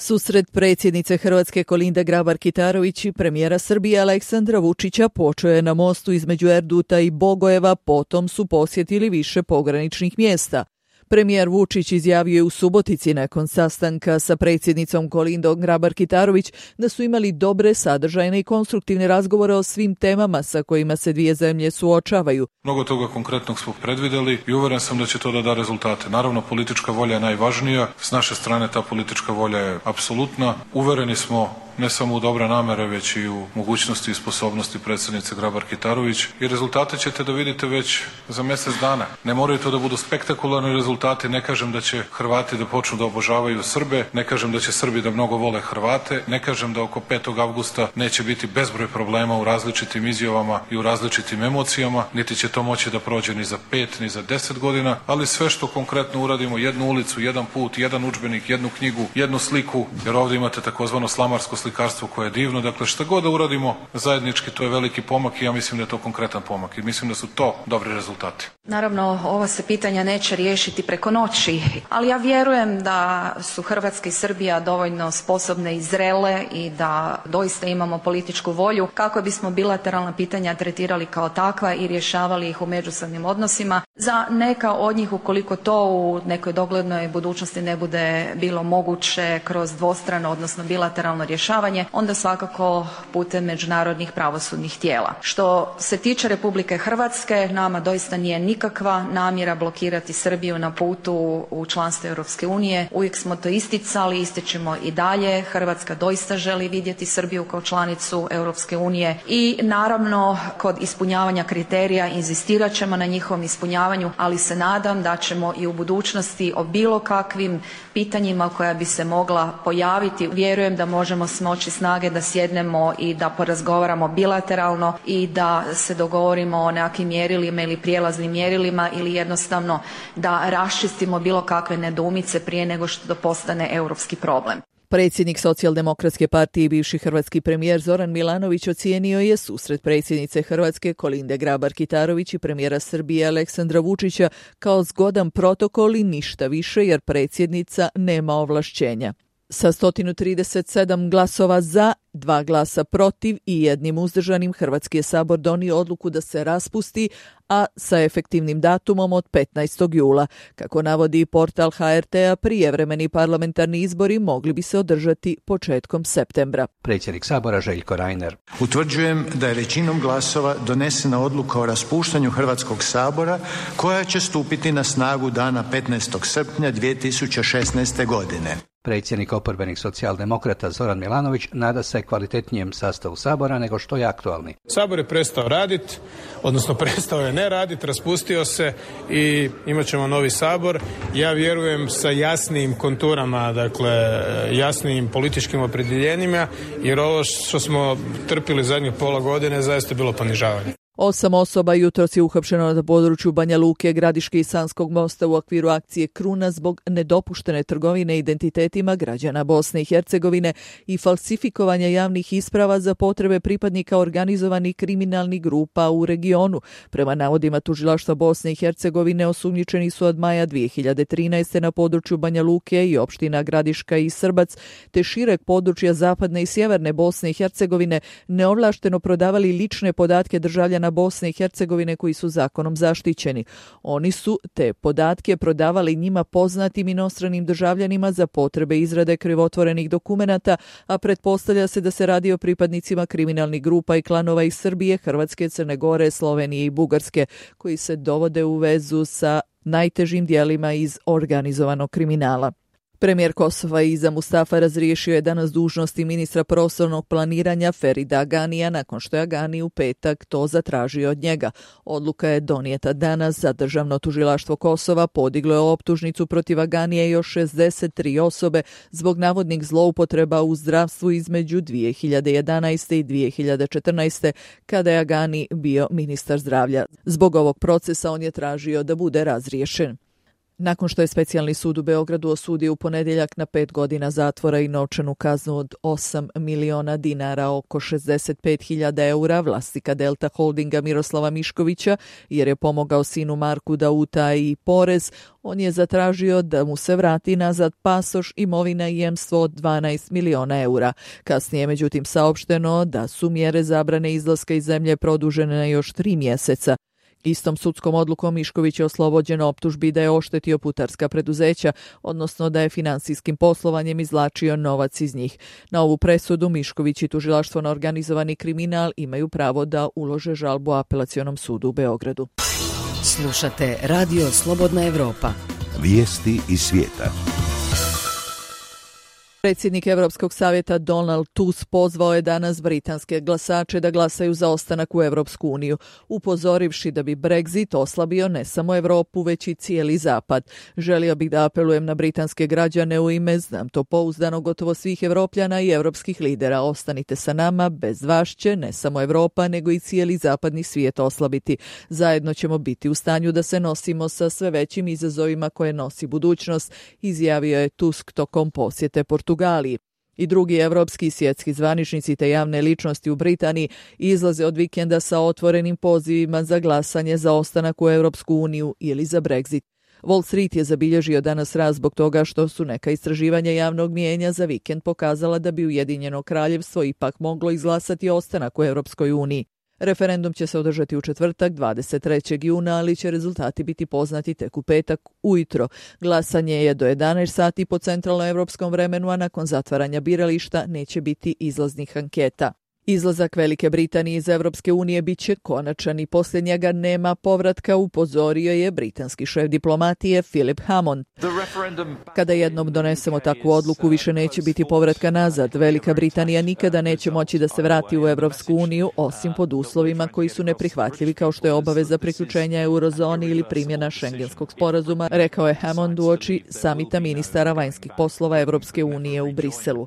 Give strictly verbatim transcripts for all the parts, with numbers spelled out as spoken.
Susret predsjednice Hrvatske Kolinde Grabar-Kitarović i premijera Srbije Aleksandra Vučića počeo je na mostu između Erduta i Bogojeva, potom su posjetili više pograničnih mjesta. Premijer Vučić izjavio je u Subotici nakon sastanka sa predsjednicom Kolindom Grabar-Kitarović da su imali dobre, sadržajne i konstruktivne razgovore o svim temama sa kojima se dvije zemlje suočavaju. Mnogo toga konkretnog smo predvidjeli i uvjeren sam da će to da da rezultate. Naravno, politička volja je najvažnija. S naše strane ta politička volja je apsolutna. Uvereni smo ne samo u dobre namere, već i u mogućnosti i sposobnosti predsjednice Grabar-Kitarović. I rezultate ćete da vidite već za mjesec dana. Ne moraju to da budu spektakularni rezultati. Ne kažem da će Hrvati da počnu da obožavaju Srbe. Ne kažem da će Srbi da mnogo vole Hrvate. Ne kažem da oko petog avgusta neće biti bezbroj problema u različitim izjavama i u različitim emocijama. Niti će to moći da prođe ni za pet, ni za deset godina. Ali sve što konkretno uradimo, jednu ulicu, jedan put, jedan udžbenik, jednu knjigu, jednu sliku, jer ovdje imate takozvano slamarsko slikarstvo koje je divno. Dakle, šta god da uradimo zajednički, to je veliki pomak i ja mislim da je to konkretan pomak i mislim da su to dobri rezultati. Naravno, ova se pitanja neće riješiti preko noći, ali ja vjerujem da su Hrvatska i Srbija dovoljno sposobne i zrele i da doista imamo političku volju kako bismo bilateralna pitanja tretirali kao takva i rješavali ih u međusobnim odnosima. Za neka od njih, ukoliko to u nekoj doglednoj budućnosti ne bude bilo moguće kroz dvostrano, odnosno bilateralno rješavanje, onda svakako putem međunarodnih pravosudnih tijela. Što se tiče Republike Hrvatske, nama doista nije nikakva namjera blokirati Srbiju na putu u članstvo Europske unije. Uvijek smo to isticali, ističemo i dalje. Hrvatska doista želi vidjeti Srbiju kao članicu Europske unije i naravno kod ispunjavanja kriterija inzistirat ćemo na njihovom ispunjavanju, ali se nadam da ćemo i u budućnosti o bilo kakvim pitanjima koja bi se mogla pojaviti, vjerujem da možemo smoći snage da sjednemo i da porazgovaramo bilateralno i da se dogovorimo o nekakvim mjerilima ili prijelaznim mjerilima ili jednostavno da raščistimo bilo kakve nedoumice prije nego što to postane europski problem. Predsjednik Socijaldemokratske partije i bivši hrvatski premijer Zoran Milanović ocijenio je susret predsjednice Hrvatske Kolinde Grabar-Kitarović i premijera Srbije Aleksandra Vučića kao zgodan protokol i ništa više jer predsjednica nema ovlašćenja. Sa sto trideset sedam glasova za, dva glasa protiv i jednim uzdržanim Hrvatski je sabor donio odluku da se raspusti, a sa efektivnim datumom od petnaestog jula. Kako navodi portal H R T-a, prijevremeni parlamentarni izbori mogli bi se održati početkom septembra. Predsjednik sabora Željko Reiner. Utvrđujem da je većinom glasova donesena odluka o raspuštanju Hrvatskog sabora koja će stupiti na snagu dana petnaestog srpnja dvije tisuće šesnaeste. godine. Predsjednik oporbenih socijaldemokrata Zoran Milanović nada se kvalitetnijem sastavu sabora nego što je aktualni. Sabor je prestao raditi, odnosno prestao je ne raditi, raspustio se i imat ćemo novi sabor. Ja vjerujem sa jasnijim konturama, dakle jasnijim političkim opredjeljenjima, jer ovo što smo trpili zadnjih pola godine zaista je bilo ponižavanje. Osam osoba jutros je uhapšeno na području Banja Luke, Gradiške i Sanskog mosta u okviru akcije Kruna zbog nedopuštene trgovine identitetima građana Bosne i Hercegovine i falsifikovanja javnih isprava za potrebe pripadnika organizovanih kriminalnih grupa u regionu. Prema navodima tužilaštva Bosne i Hercegovine, osumnjičeni su od maja dvije hiljade trinaeste. na području Banja Luke i opština Gradiška i Srbac, te šireg područja zapadne i sjeverne Bosne i Hercegovine neovlašteno prodavali lične podatke državljana Bosne i Hercegovine koji su zakonom zaštićeni. Oni su te podatke prodavali njima poznatim inostranim državljanima za potrebe izrade krivotvorenih dokumenata, a pretpostavlja se da se radi o pripadnicima kriminalnih grupa i klanova iz Srbije, Hrvatske, Crne Gore, Slovenije i Bugarske, koji se dovode u vezu sa najtežim dijelima iz organizovanog kriminala. Premijer Kosova Iza Mustafa razriješio je danas dužnosti ministra prostornog planiranja Ferida Aganija nakon što je Agani u petak to zatražio od njega. Odluka je donijeta danas, za Državno tužilaštvo Kosova podiglo je optužnicu protiv Aganija i još šezdeset tri osobe zbog navodnih zloupotreba u zdravstvu između dvije hiljade jedanaeste. i dvije hiljade četrnaeste. kada je Agani bio ministar zdravlja. Zbog ovog procesa on je tražio da bude razriješen. Nakon što je specijalni sud u Beogradu osudio u ponedjeljak na pet godina zatvora i novčanu kaznu od osam miliona dinara, oko šezdeset pet hiljada eura, vlasnika Delta Holdinga Miroslava Miškovića, jer je pomogao sinu Marku da utaji porez, on je zatražio da mu se vrati nazad pasoš, imovina i jemstvo od dvanaest miliona eura. Kasnije je međutim saopšteno da su mjere zabrane izlaska iz zemlje produžene na još tri mjeseca. Istom sudskom odlukom Mišković je oslobođen optužbi da je oštetio putarska preduzeća, odnosno da je finansijskim poslovanjem izvlačio novac iz njih. Na ovu presudu Mišković i tužilaštvo na organizovani kriminal imaju pravo da ulože žalbu Apelacionom sudu u Beogradu. Slušate Radio Slobodna Evropa. Vijesti iz svijeta. Predsjednik Europskog savjeta Donald Tusk pozvao je danas britanske glasače da glasaju za ostanak u Europsku uniju, upozorivši da bi Brexit oslabio ne samo Europu, već i cijeli zapad. Želio bih da apelujem na britanske građane u ime, znam to pouzdano, gotovo svih Evropljana i europskih lidera. Ostanite sa nama, bez vas će ne samo Europa, nego i cijeli zapadni svijet oslabiti. Zajedno ćemo biti u stanju da se nosimo sa sve većim izazovima koje nosi budućnost, izjavio je Tusk tokom posjete Portugaliji. Portugaliji. I drugi evropski i svjetski zvaničnici te javne ličnosti u Britaniji izlaze od vikenda sa otvorenim pozivima za glasanje za ostanak u Europsku uniju ili za Brexit. Wall Street je zabilježio danas rast zbog toga što su neka istraživanja javnog mijenja za vikend pokazala da bi Ujedinjeno kraljevstvo ipak moglo izglasati ostanak u Europskoj uniji. Referendum će se održati u četvrtak, dvadeset trećeg juna, ali će rezultati biti poznati tek u petak ujutro. Glasanje je do jedanaest sati po centralnoevropskom vremenu, a nakon zatvaranja birališta neće biti izlaznih anketa. Izlazak Velike Britanije iz Europske unije bit će konačan i poslije njega nema povratka, upozorio je britanski šef diplomatije Philip Hammond. Kada jednom donesemo takvu odluku, više neće biti povratka nazad. Velika Britanija nikada neće moći da se vrati u Europsku uniju, osim pod uslovima koji su neprihvatljivi, kao što je obaveza priključenja eurozoni ili primjena Schengenskog sporazuma, rekao je Hammond uoči samita ministara vanjskih poslova Europske unije u Briselu.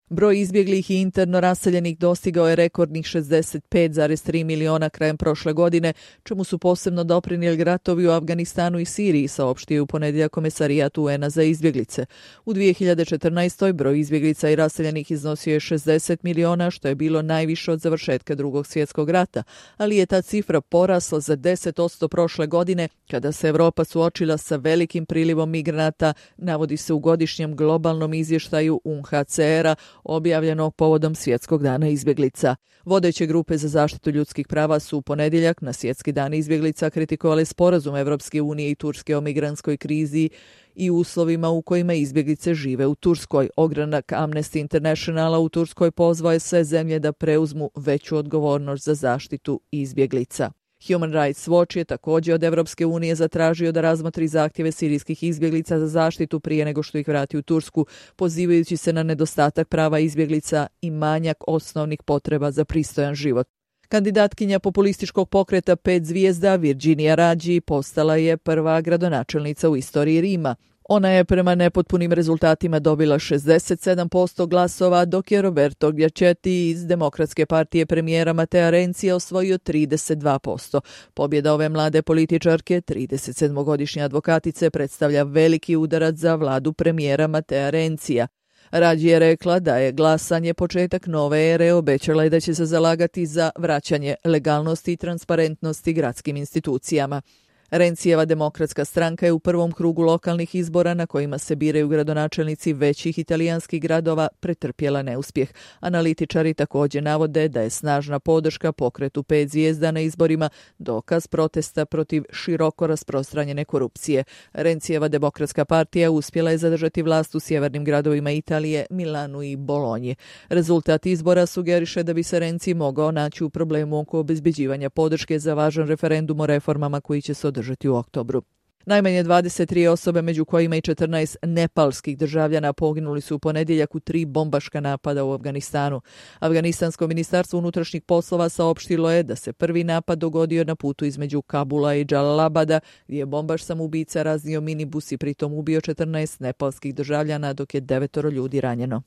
Broj izbjeglih i interno raseljenih dostigao je rekordnih šezdeset pet zarez tri miliona krajem prošle godine, čemu su posebno doprinijeli ratovi u Afganistanu i Siriji, saopštio u ponedjeljak Komesarijat U N A za izbjeglice. U dvije hiljade četrnaestoj. broj izbjeglica i raseljenih iznosio je šezdeset miliona, što je bilo najviše od završetka Drugog svjetskog rata, ali je ta cifra porasla za deset posto prošle godine, kada se Europa suočila sa velikim prilivom migranata, navodi se u godišnjem globalnom izvještaju U N H C R-a objavljenog povodom Svjetskog dana izbjeglica. Vodeće grupe za zaštitu ljudskih prava su u ponedjeljak na Svjetski dan izbjeglica kritikovali sporazum Evropske unije i Turske o migrantskoj krizi i uslovima u kojima izbjeglice žive u Turskoj. Ogranak Amnesty Internationala u Turskoj pozvao je sve zemlje da preuzmu veću odgovornost za zaštitu izbjeglica. Human Rights Watch je također od Evropske unije zatražio da razmotri zahtjeve sirijskih izbjeglica za zaštitu prije nego što ih vrati u Tursku, pozivajući se na nedostatak prava izbjeglica i manjak osnovnih potreba za pristojan život. Kandidatkinja populističkog pokreta pet zvijezda Virginia Raggi postala je prva gradonačelnica u istoriji Rima. Ona je prema nepotpunim rezultatima dobila šezdeset sedam posto glasova, dok je Roberto Giachetti iz Demokratske partije premijera Matea Renzija osvojio trideset dva posto. Pobjeda ove mlade političarke, tridesetsedmogodišnje advokatice, predstavlja veliki udarac za vladu premijera Matea Renzija. Raggi je rekla da je glasanje početak nove ere, obećala je da će se zalagati za vraćanje legalnosti i transparentnosti gradskim institucijama. Rencijeva demokratska stranka je u prvom krugu lokalnih izbora na kojima se biraju gradonačelnici većih italijanskih gradova pretrpjela neuspjeh. Analitičari također navode da je snažna podrška pokretu pet zvijezda na izborima dokaz protesta protiv široko rasprostranjene korupcije. Rencijeva demokratska partija uspjela je zadržati vlast u sjevernim gradovima Italije, Milanu i Bolonji. Rezultat izbora sugeriše da bi se Renzi mogao naći u problemu oko obezbeđivanja podrške za važan referendum o reformama koji će se održati u oktobru. Najmanje dvadeset tri osobe, među kojima i četrnaest nepalskih državljana, poginuli su u ponedjeljak u tri bombaška napada u Afganistanu. Afganistansko ministarstvo unutrašnjih poslova saopštilo je da se prvi napad dogodio na putu između Kabula i Džalalabada, gdje je bombaš samoubica raznio minibus i pritom ubio četrnaest nepalskih državljana, dok je devetoro ljudi ranjeno.